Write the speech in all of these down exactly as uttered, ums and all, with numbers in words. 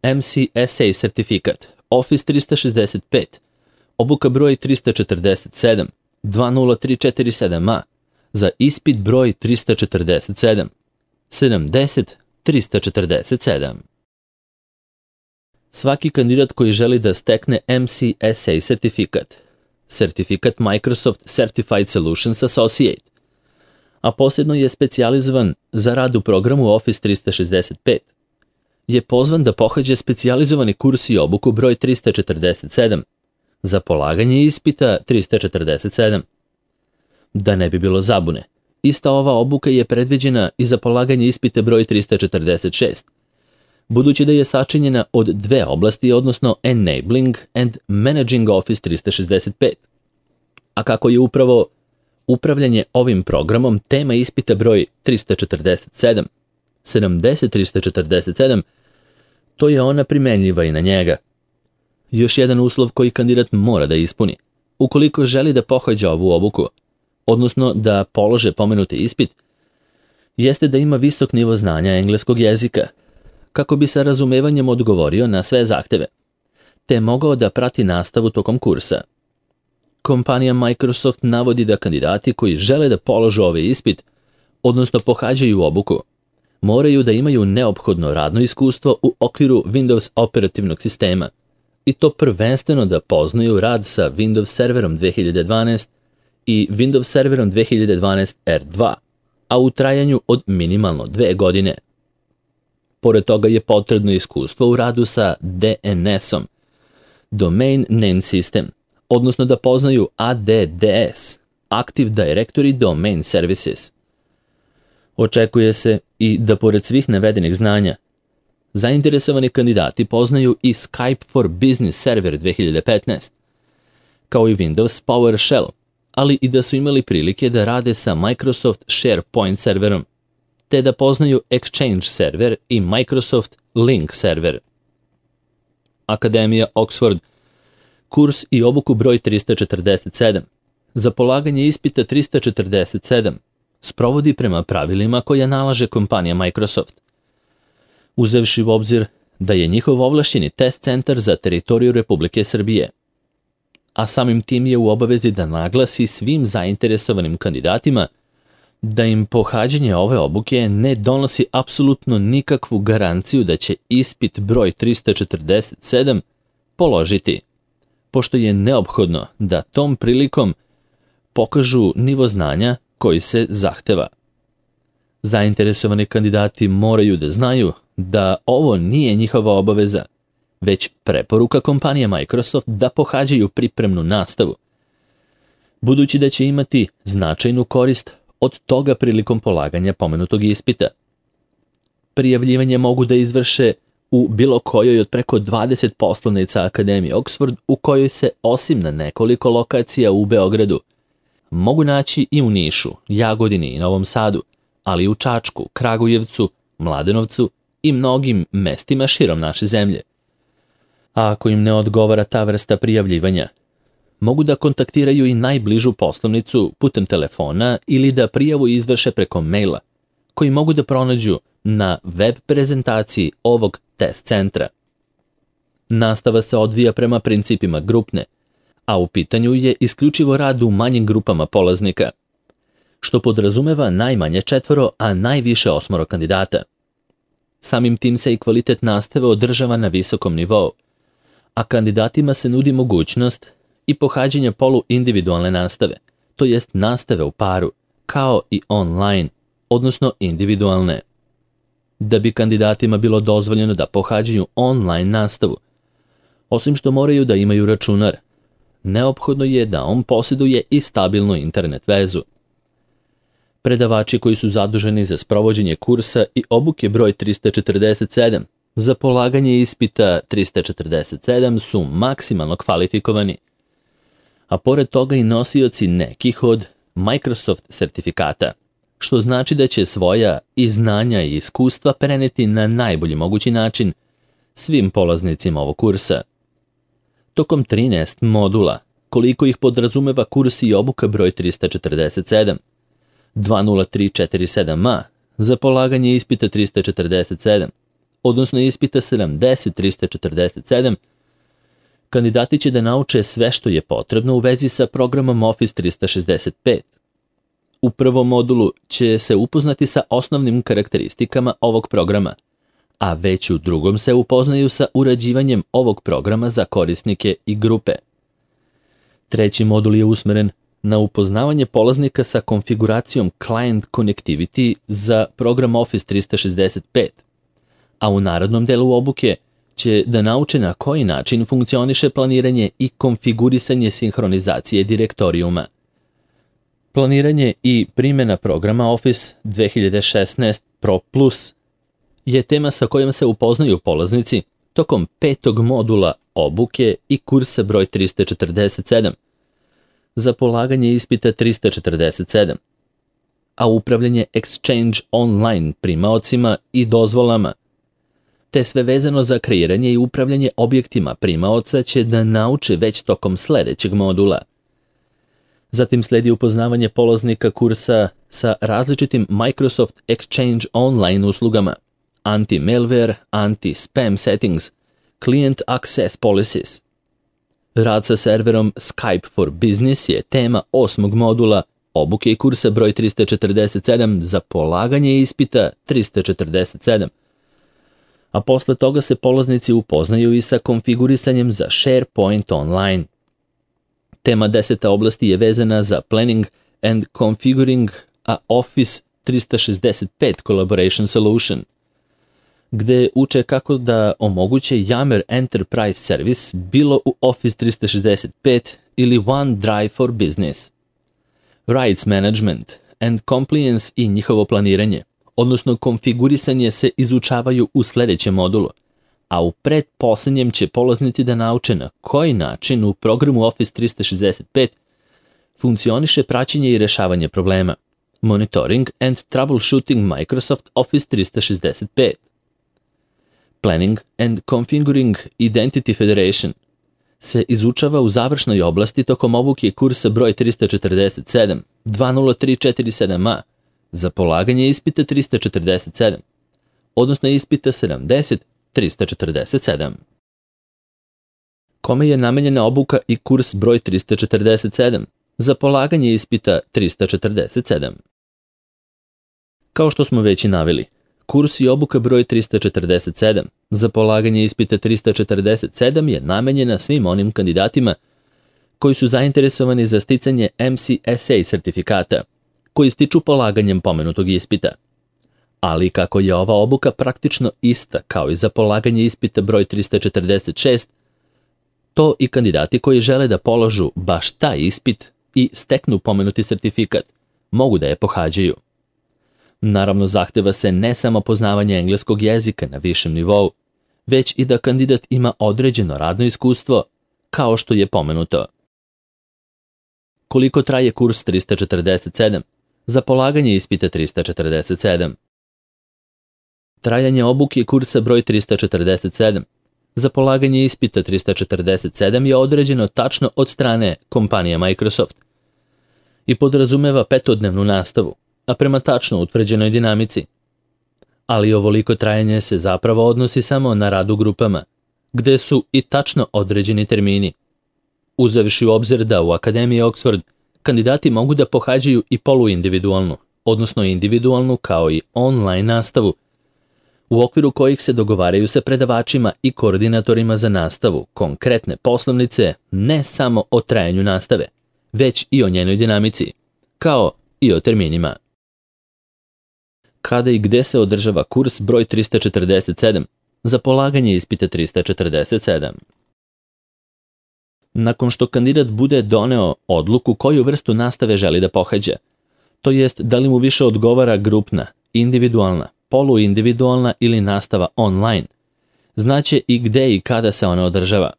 M C S A sertifikat, Office trista šezdeset pet, obuka broj trista četrdeset sedam, dva nula tri četiri sedam A, za ispit broj trista četrdeset sedam, sedamdeset trista četrdeset sedam. Svaki kandidat koji želi da stekne M C S A sertifikat, sertifikat Microsoft Certified Solutions Associate, a posebno je specijalizovan za rad u programu Office trista šezdeset pet, je pozvan da pohađa specijalizovani kurs i obuku broj trista četrdeset sedam, za polaganje ispita trista četrdeset sedam. Da ne bi bilo zabune, ista ova obuka je predviđena i za polaganje ispita broj trista četrdeset šest, budući da je sačinjena od dve oblasti, odnosno Enabling and Managing Office trista šezdeset pet. A kako je upravo upravljanje ovim programom tema ispita broj trista četrdeset sedam, sedamdeset trista četrdeset sedam, to je ona primenljiva i na njega. Još jedan uslov koji kandidat mora da ispuni, ukoliko želi da pohađa ovu obuku, odnosno da polože pomenuti ispit, jeste da ima visok nivo znanja engleskog jezika, kako bi sa razumevanjem odgovorio na sve zahteve, te mogao da prati nastavu tokom kursa. Kompanija Microsoft navodi da kandidati koji žele da položu ovaj ispit, odnosno pohađaju obuku, moraju da imaju neophodno radno iskustvo u okviru Windows operativnog sistema, i to prvenstveno da poznaju rad sa Windows serverom dve hiljade dvanaest i Windows serverom dve hiljade dvanaest R dva, a u trajanju od minimalno dve godine. Pored toga je potrebno iskustvo u radu sa D N S-om, Domain Name System, odnosno da poznaju A D D S, Active Directory Domain Services. Očekuje se i da pored svih navedenih znanja, zainteresovani kandidati poznaju i Skype for Business Server dve hiljade petnaest, kao i Windows PowerShell, ali i da su imali prilike da rade sa Microsoft SharePoint serverom, te da poznaju Exchange server i Microsoft Link server. Akademija Oxford, kurs i obuku broj trista četrdeset sedam, za polaganje ispita trista četrdeset sedam, sprovodi prema pravilima koja nalaže kompanija Microsoft, uzevši u obzir da je njihov ovlašćeni test centar za teritoriju Republike Srbije, a samim tim je u obavezi da naglasi svim zainteresovanim kandidatima da im pohađanje ove obuke ne donosi apsolutno nikakvu garanciju da će ispit broj trista četrdeset sedam položiti, pošto je neophodno da tom prilikom pokažu nivo znanja koji se zahteva. Zainteresovani kandidati moraju da znaju da ovo nije njihova obaveza, već preporuka kompanije Microsoft da pohađaju pripremnu nastavu, budući da će imati značajnu korist od toga prilikom polaganja pomenutog ispita. Prijavljivanje mogu da izvrše u bilo kojoj od preko dvadeset poslovnica Akademije Oxford, u kojoj se osim na nekoliko lokacija u Beogradu mogu naći i u Nišu, Jagodini i Novom Sadu, ali i u Čačku, Kragujevcu, Mladenovcu i mnogim mestima širom naše zemlje. A ako im ne odgovara ta vrsta prijavljivanja, mogu da kontaktiraju i najbližu poslovnicu putem telefona ili da prijavu izvrše preko maila, koji mogu da pronađu na web prezentaciji ovog test centra. Nastava se odvija prema principima grupne, a u pitanju je isključivo rad u manjim grupama polaznika, što podrazumeva najmanje četvoro, a najviše osmoro kandidata. Samim tim se i kvalitet nastave održava na visokom nivou, a kandidatima se nudi mogućnost i pohađanja polu individualne nastave, to jest nastave u paru, kao i online, odnosno individualne. Da bi kandidatima bilo dozvoljeno da pohađaju online nastavu, osim što moraju da imaju računar, neophodno je da on posjeduje i stabilnu internet vezu. Predavači koji su zaduženi za sprovođenje kursa i obuke broj trista četrdeset sedam za polaganje ispita trista četrdeset sedam su maksimalno kvalifikovani, a pored toga i nosioci nekih od Microsoft sertifikata, što znači da će svoja i znanja i iskustva preneti na najbolji mogući način svim polaznicima ovog kursa. Tokom trinaest modula, koliko ih podrazumeva kurs i obuka broj trista četrdeset sedam, dva nula tri četiri sedam A za polaganje ispita trista četrdeset sedam, odnosno ispita sedamdeset trista četrdeset sedam, kandidati će da nauče sve što je potrebno u vezi sa programom Office trista šezdeset pet. U prvom modulu će se upoznati sa osnovnim karakteristikama ovog programa, a već u drugom se upoznaju sa urađivanjem ovog programa za korisnike i grupe. Treći modul je usmeren na upoznavanje polaznika sa konfiguracijom Client Connectivity za program Office trista šezdeset pet, a u narednom delu obuke će da nauče na koji način funkcioniše planiranje i konfigurisanje sinhronizacije direktorijuma. Planiranje i primjena programa Office dve hiljade šesnaest Pro Plus je tema sa kojom se upoznaju polaznici tokom petog modula obuke i kursa broj trista četrdeset sedam za polaganje ispita trista četrdeset sedam, a upravljanje Exchange online primaocima i dozvolama, te sve vezano za kreiranje i upravljanje objektima primaoca će da nauče već tokom sledećeg modula. Zatim sledi upoznavanje polaznika kursa sa različitim Microsoft Exchange online uslugama, anti-malware, anti-spam settings, client access policies. Rad sa serverom Skype for Business je tema osmog modula obuke i kursa broj trista četrdeset sedam za polaganje ispita trista četrdeset sedam. A posle toga se polaznici upoznaju i sa konfigurisanjem za SharePoint online. Tema desete oblasti je vezana za Planning and Configuring a Office trista šezdeset pet Collaboration Solution, gde uče kako da omoguće Yammer Enterprise Service bilo u Office trista šezdeset pet ili OneDrive for Business. Rights Management and Compliance i njihovo planiranje, odnosno konfigurisanje, se izučavaju u sledećem modulu, a u pretposlednjem će polaznici da nauče na koji način u programu Office trista šezdeset pet funkcioniše praćenje i rešavanje problema, Monitoring and Troubleshooting Microsoft Office trista šezdeset pet. Planning and Configuring Identity Federation se izučava u završnoj oblasti tokom obuke kursa broj trista četrdeset sedam dva nula tri četiri sedam a za polaganje ispita trista četrdeset sedam, odnosno ispita sedamdeset trista četrdeset sedam. Kome je namenjena obuka i kurs broj trista četrdeset sedam za polaganje ispita trista četrdeset sedam? Kao što smo već i naveli, kurs i obuka broj trista četrdeset sedam za polaganje ispita trista četrdeset sedam je namenjena svim onim kandidatima koji su zainteresovani za sticanje M C S A sertifikata, koji stiču polaganjem pomenutog ispita. Ali kako je ova obuka praktično ista kao i za polaganje ispita broj trista četrdeset šest, to i kandidati koji žele da položu baš taj ispit i steknu pomenuti sertifikat mogu da je pohađaju. Naravno, zahteva se ne samo poznavanje engleskog jezika na višem nivou, već i da kandidat ima određeno radno iskustvo, kao što je pomenuto. Koliko traje kurs trista četrdeset sedam za polaganje ispita trista četrdeset sedam? Trajanje obuke kursa broj trista četrdeset sedam za polaganje ispita trista četrdeset sedam je određeno tačno od strane kompanije Microsoft i podrazumeva petodnevnu nastavu, a prema tačno utvrđenoj dinamici. Ali ovoliko trajanje se zapravo odnosi samo na rad u grupama, gde su i tačno određeni termini. Uzevši u obzir da u Akademiji Oxford kandidati mogu da pohađaju i poluindividualnu, odnosno individualnu kao i online nastavu, u okviru kojih se dogovaraju sa predavačima i koordinatorima za nastavu konkretne poslovnice ne samo o trajanju nastave, već i o njenoj dinamici, kao i o terminima. Kada i gde se održava kurs broj trista četrdeset sedam za polaganje ispita trista četrdeset sedam? Nakon što kandidat bude doneo odluku koju vrstu nastave želi da pohađa, to jest da li mu više odgovara grupna, individualna, poluindividualna ili nastava online, znaće i gde i kada se ona održava.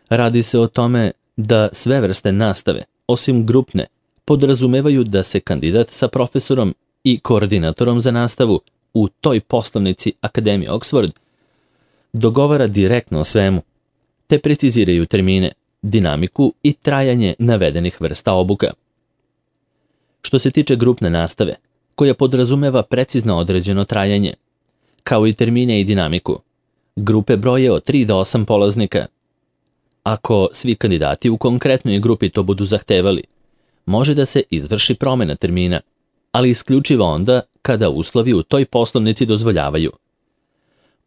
Radi se o tome da sve vrste nastave, osim grupne, podrazumevaju da se kandidat sa profesorom i koordinatorom za nastavu u toj poslovnici Akademije Oxford dogovara direktno o svemu, te preciziraju termine, dinamiku i trajanje navedenih vrsta obuka. Što se tiče grupne nastave, koja podrazumeva precizno određeno trajanje, kao i termine i dinamiku. Grupe broje od tri do osam polaznika. Ako svi kandidati u konkretnoj grupi to budu zahtevali, može da se izvrši promjena termina, ali isključivo onda kada uslovi u toj poslovnici dozvoljavaju.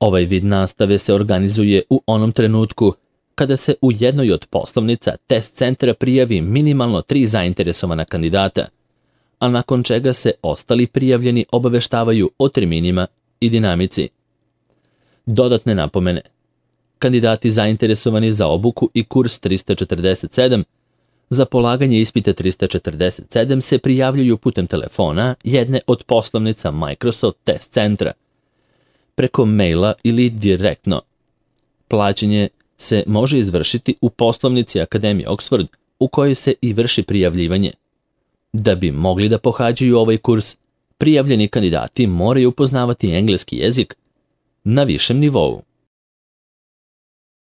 Ovaj vid nastave se organizuje u onom trenutku kada se u jednoj od poslovnica test centra prijavi minimalno tri zainteresovana kandidata, a nakon čega se ostali prijavljeni obaveštavaju o terminima i dinamici. Dodatne napomene. Kandidati zainteresovani za obuku i kurs trista četrdeset sedam za polaganje ispita trista četrdeset sedam se prijavljuju putem telefona jedne od poslovnica Microsoft Test Centra, preko maila ili direktno. Plaćanje se može izvršiti u poslovnici Akademije Oxford u kojoj se i vrši prijavljivanje. Da bi mogli da pohađaju ovaj kurs, prijavljeni kandidati moraju poznavati engleski jezik na višem nivou.